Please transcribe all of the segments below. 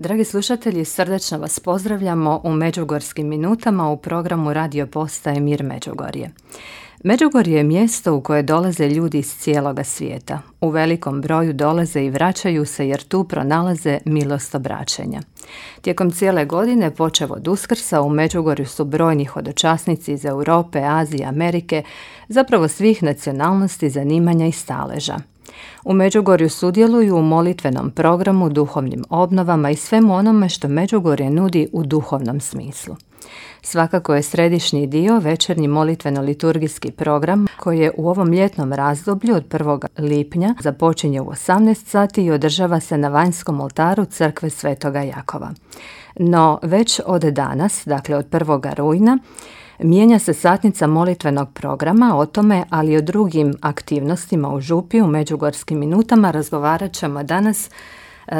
Dragi slušatelji, srdačno vas pozdravljamo u Međugorskim minutama u programu radio postaje Mir Međugorje. Međugorje je mjesto u koje dolaze ljudi iz cijeloga svijeta. U velikom broju dolaze i vraćaju se jer tu pronalaze milost obraćanja. Tijekom cijele godine, počev od Uskrsa, u Međugorju su brojni hodočasnici iz Europe, Azije, Amerike, zapravo svih nacionalnosti, zanimanja i staleža. U Međugorju sudjeluju u molitvenom programu, duhovnim obnovama i svemu onome što Međugorje nudi u duhovnom smislu. Svakako je središnji dio večernji molitveno-liturgijski program koji je u ovom ljetnom razdoblju od 1. lipnja započinje u 18 sati i održava se na vanjskom oltaru crkve Svetoga Jakova. No već od danas, dakle od 1. rujna, mijenja se satnica molitvenog programa. O tome, ali i o drugim aktivnostima u župi u Međugorskim minutama razgovarat ćemo danas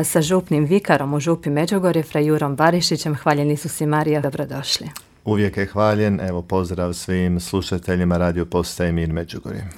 sa župnim vikarom u župi Međugorje, fra Jurom Barišićem. Hvaljen Isus i Marija, dobrodošli. Uvijek je hvaljen, evo pozdrav svim slušateljima radio postaje Mir Međugorje.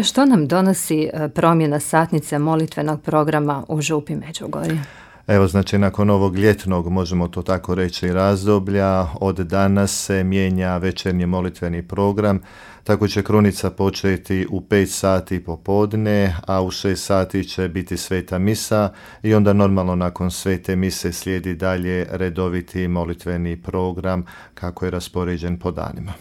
Što nam donosi promjena satnice molitvenog programa u župi Međugorje? Evo, znači, nakon ovog ljetnog, možemo to tako reći, razdoblja, od danas se mijenja večernji molitveni program. Tako će krunica početi u 5 sati popodne, a u 6 sati će biti sveta misa i onda normalno nakon svete mise slijedi dalje redoviti molitveni program kako je raspoređen po danima.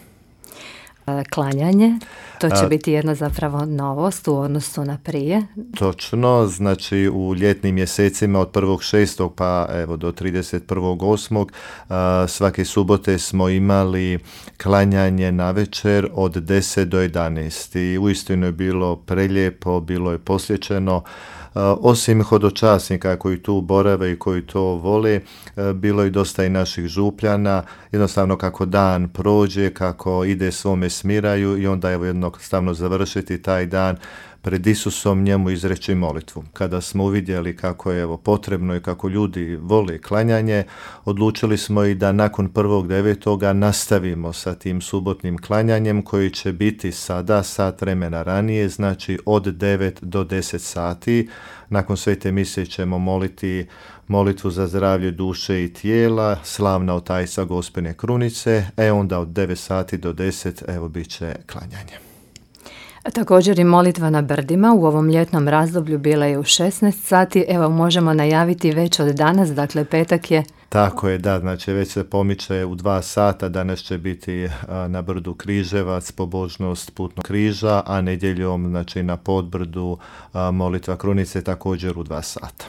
Klanjanje, to će biti jedna zapravo novost u odnosu na prije. Točno, znači u ljetnim mjesecima od 1.6. pa evo do 31.8. Svake subote smo imali klanjanje navečer od 10 do 11. I uistinu je bilo prelijepo, bilo je posjećeno. Osim hodočasnika koji tu borave i koji to vole, bilo je dosta i naših župljana. Jednostavno kako dan prođe, kako ide svome smiraju i onda evo jednostavno završiti taj dan pred Isusom, njemu izreći molitvu. Kada smo uvidjeli kako je potrebno i kako ljudi vole klanjanje, odlučili smo i da nakon 1.9. nastavimo sa tim subotnim klanjanjem koji će biti sada sat vremena ranije, znači od 9 do 10 sati. Nakon svete mise ćemo moliti molitvu za zdravlje duše i tijela, slavna otajstva Gospine krunice, onda od 9 sati do 10 bit će klanjanje. Također i molitva na brdima u ovom ljetnom razdoblju bila je u 16 sati. Evo, možemo najaviti već od danas, dakle petak je. Tako je, da, znači već se pomiče u 2 sata, danas će biti na brdu Križevac, pobožnost putnog križa, a nedjeljom znači na Podbrdu molitva krunice također u 2 sata.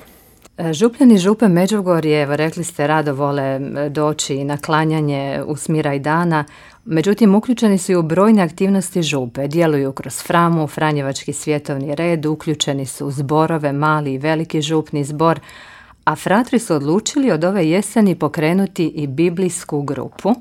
Župljani župe Međugorje, evo rekli ste, rado vole doći na klanjanje u smiraj dana, međutim uključeni su i u brojne aktivnosti župe, djeluju kroz Framu, Franjevački svjetovni red, uključeni su u zborove, mali i veliki župni zbor, a fratri su odlučili od ove jeseni pokrenuti i biblijsku grupu,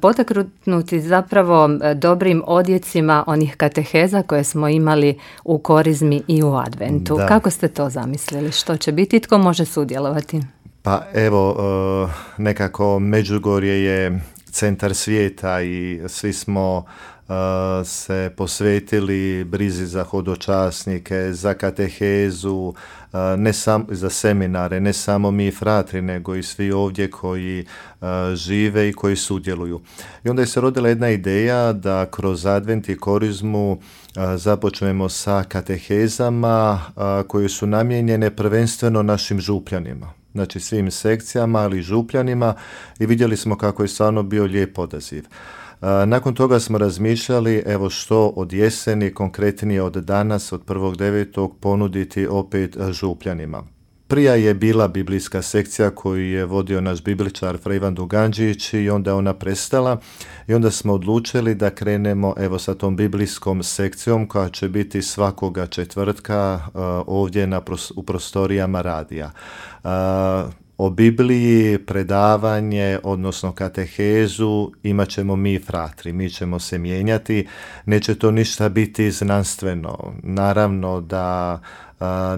potaknuti zapravo dobrim odjecima onih kateheza koje smo imali u Korizmi i u Adventu. Da. Kako ste to zamislili? Što će biti? Tko može sudjelovati? Pa evo, nekako Međugorje je centar svijeta i svi smo se posvetili brizi za hodočasnike, za katehezu, ne samo za seminare, ne samo mi fratri, nego i svi ovdje koji žive i koji sudjeluju. I onda je se rodila jedna ideja da kroz Advent i Korizmu započnemo sa katehezama koje su namijenjene prvenstveno našim župljanima. Znači svim sekcijama, ali i župljanima, i vidjeli smo kako je stvarno bio lijep odaziv. Nakon toga smo razmišljali evo što od jeseni, konkretnije od danas, od 1.9. ponuditi opet župljanima. Prije je bila biblijska sekcija koju je vodio naš bibličar fra Ivan Duganđić i onda je ona prestala i onda smo odlučili da krenemo evo sa tom biblijskom sekcijom koja će biti svakoga četvrtka ovdje u prostorijama radija. O Bibliji, predavanje, odnosno katehezu, imat ćemo mi fratri, mi ćemo se mijenjati, neće to ništa biti znanstveno. Naravno da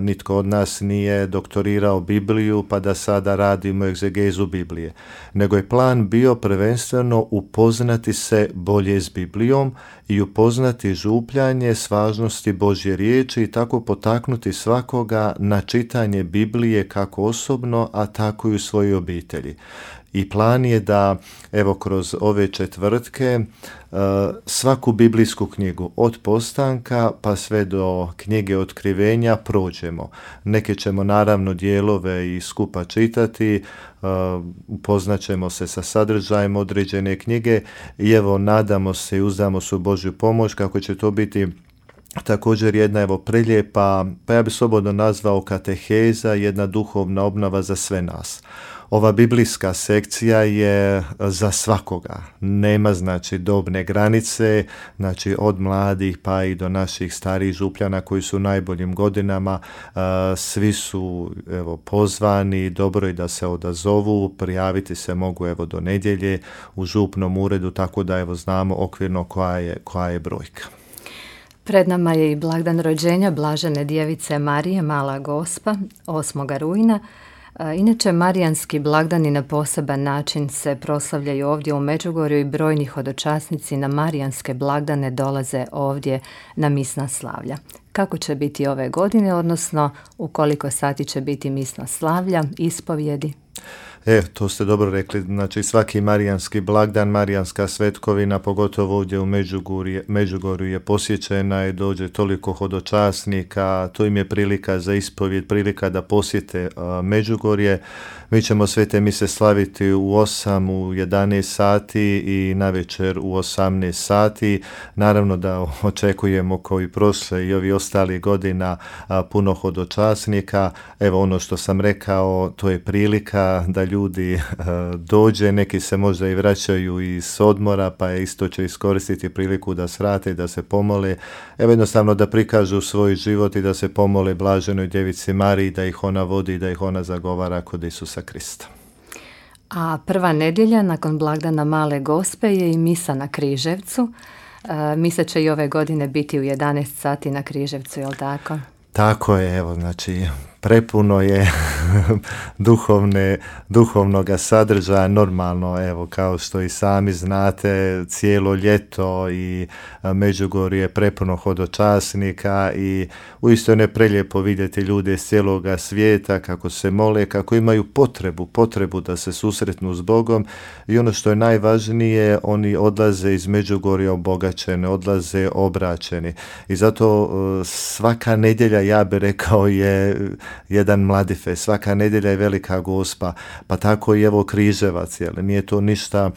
Nitko od nas nije doktorirao Bibliju pa da sada radimo egzegezu Biblije, nego je plan bio prvenstveno upoznati se bolje s Biblijom i upoznati župljanje s važnosti Božje riječi i tako potaknuti svakoga na čitanje Biblije kako osobno, a tako i u svojoj obitelji. I plan je da, evo, kroz ove četvrtke svaku biblijsku knjigu od postanka pa sve do knjige otkrivenja prođemo. Neke ćemo naravno dijelove i skupa čitati, upoznat ćemo se sa sadržajem određene knjige i evo, nadamo se i uzdamo se u Božju pomoć kako će to biti također jedna prelijepa, pa ja bih slobodno nazvao kateheza, jedna duhovna obnova za sve nas. Ova biblijska sekcija je za svakoga, nema znači dobne granice, znači od mladih pa i do naših starijih župljana koji su u najboljim godinama, svi su pozvani, dobro je da se odazovu, prijaviti se mogu do nedjelje u župnom uredu, tako da znamo okvirno koja je brojka. Pred nama je i blagdan rođenja Blažene djevice Marije, Mala Gospa, 8. rujna. Inače, marijanski blagdani na poseban način se proslavljaju ovdje u Međugorju i brojni hodočasnici na marijanske blagdane dolaze ovdje na misna slavlja. Kako će biti ove godine, odnosno u koliko sati će biti misna slavlja, ispovjedi? To ste dobro rekli, znači svaki marijanski blagdan, marijanska svetkovina, pogotovo ovdje u Međugorju je posjećena i dođe toliko hodočasnika, to im je prilika za ispovjed, prilika da posjete Međugorje. Mi ćemo svete mise slaviti u 8, u 11 sati i navečer u 18 sati. Naravno da očekujemo koji prošle i ovi ostali godina puno hodočasnika. Evo ono što sam rekao, to je prilika da ljudi dođe, neki se možda i vraćaju iz odmora, pa isto će iskoristiti priliku da svrate i da se pomole. Evo jednostavno da prikažu svoj život i da se pomole Blaženoj djevici Mariji, da ih ona vodi, da ih ona zagovara kod Isusa Krista. A prva nedjelja nakon blagdana Male Gospe je i misa na Križevcu. Misa će i ove godine biti u 11 sati na Križevcu, je li tako? Tako je, znači prepuno je duhovnoga sadržaja, normalno, kao što i sami znate, cijelo ljeto i Međugorje je prepuno hodočasnika i uistinu je prelijepo vidjeti ljude iz cijeloga svijeta kako se mole, kako imaju potrebu da se susretnu s Bogom i ono što je najvažnije, oni odlaze iz Međugorja obogaćeni, odlaze obraćeni i zato svaka nedjelja, ja bih rekao, je jedan mladifest, svaka nedjelja je velika Gospa, pa tako i Križevac, nije to ništa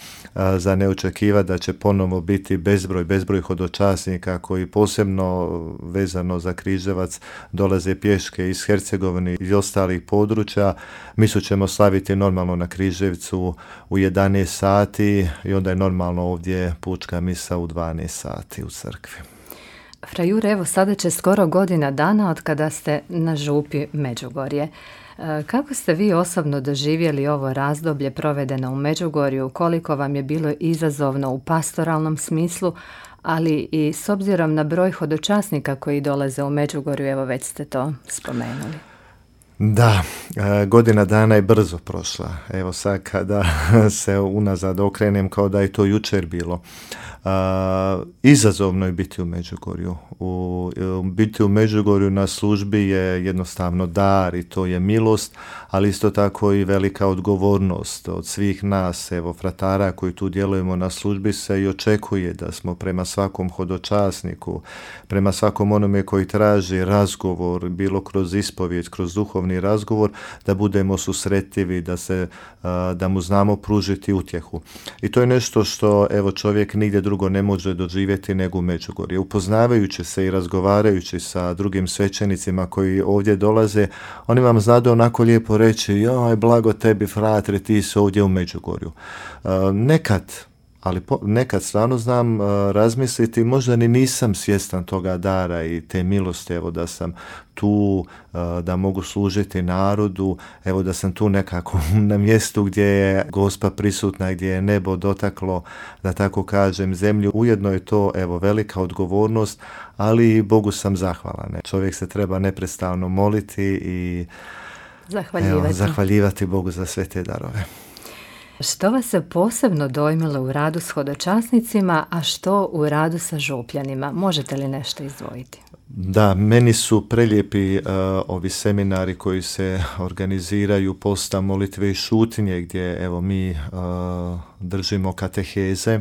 za neočekivati da će ponovo biti bezbroj hodočasnika koji posebno vezano za Križevac dolaze pješke iz Hercegovine i ostalih područja. Misu ćemo slaviti normalno na Križevcu u 11 sati i onda je normalno ovdje pučka misa u 12 sati u crkvi. Fra Jure, evo sada će skoro godina dana od kada ste na župi Međugorje. Kako ste vi osobno doživjeli ovo razdoblje provedeno u Međugorju, koliko vam je bilo izazovno u pastoralnom smislu, ali i s obzirom na broj hodočasnika koji dolaze u Međugorju, evo već ste to spomenuli. Da, godina dana je brzo prošla. Evo sad kada se unazad okrenem kao da je to jučer bilo. Izazovno je biti u Međugorju. Biti u Međugorju na službi je jednostavno dar i to je milost, ali isto tako i velika odgovornost od svih nas, fratara koji tu djelujemo na službi, se i očekuje da smo prema svakom hodočasniku, prema svakom onome koji traži razgovor, bilo kroz ispovijed, kroz duhovni razgovor, da budemo susretljivi, da mu znamo pružiti utjehu. I to je nešto što čovjek nigdje drugo ne može doživjeti nego u Međugorju. Upoznavajući se i razgovarajući sa drugim svećenicima koji ovdje dolaze, oni vam znadu onako lijepo reći: joj, blago tebi, fratre, ti si ovdje u Međugorju. Nekad ali nekad stvarno znam razmisliti, možda ni nisam svjestan toga dara i te milosti, evo da sam tu, da mogu služiti narodu, evo da sam tu nekako na mjestu gdje je Gospa prisutna, gdje je nebo dotaklo, da tako kažem, zemlju. Ujedno je to, evo, velika odgovornost, ali Bogu sam zahvalan. Čovjek se treba neprestano moliti i zahvaljivati Bogu za sve te darove. Što vas se posebno dojmilo u radu s hodočasnicima, a što u radu sa župljanima? Možete li nešto izdvojiti? Da, meni su prelijepi ovi seminari koji se organiziraju posta molitve i šutnje, gdje evo mi držimo kateheze,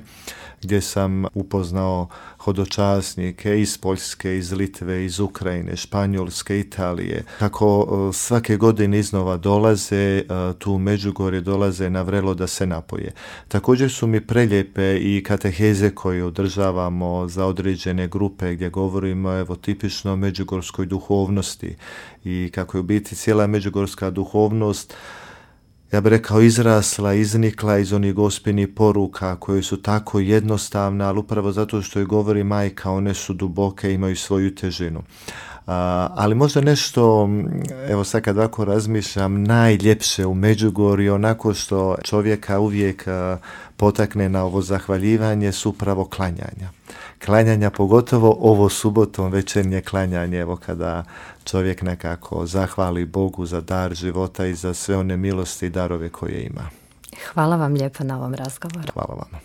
gdje sam upoznao hodočasnike iz Poljske, iz Litve, iz Ukrajine, Španjolske, Italije. Kako svake godine iznova dolaze, tu u Međugorje dolaze na vrelo da se napoje. Također su mi prelijepe i kateheze koje održavamo za određene grupe, gdje govorimo evo tipično o međugorskoj duhovnosti i kako je u biti cijela međugorska duhovnost, ja bih rekao, izrasla, iznikla iz onih gospinih poruka koje su tako jednostavne, ali upravo zato što je govori majka, one su duboke, imaju svoju težinu. Ali možda nešto, evo sad kad ovako razmišljam, najljepše u Međugorju, onako što čovjeka uvijek potakne na ovo zahvaljivanje, su upravo klanjanja. Klanjanja, pogotovo ovo subotom večernje klanjanje, evo kada čovjek nekako zahvali Bogu za dar života i za sve one milosti i darove koje ima. Hvala vam lijepo na ovom razgovoru. Hvala vam.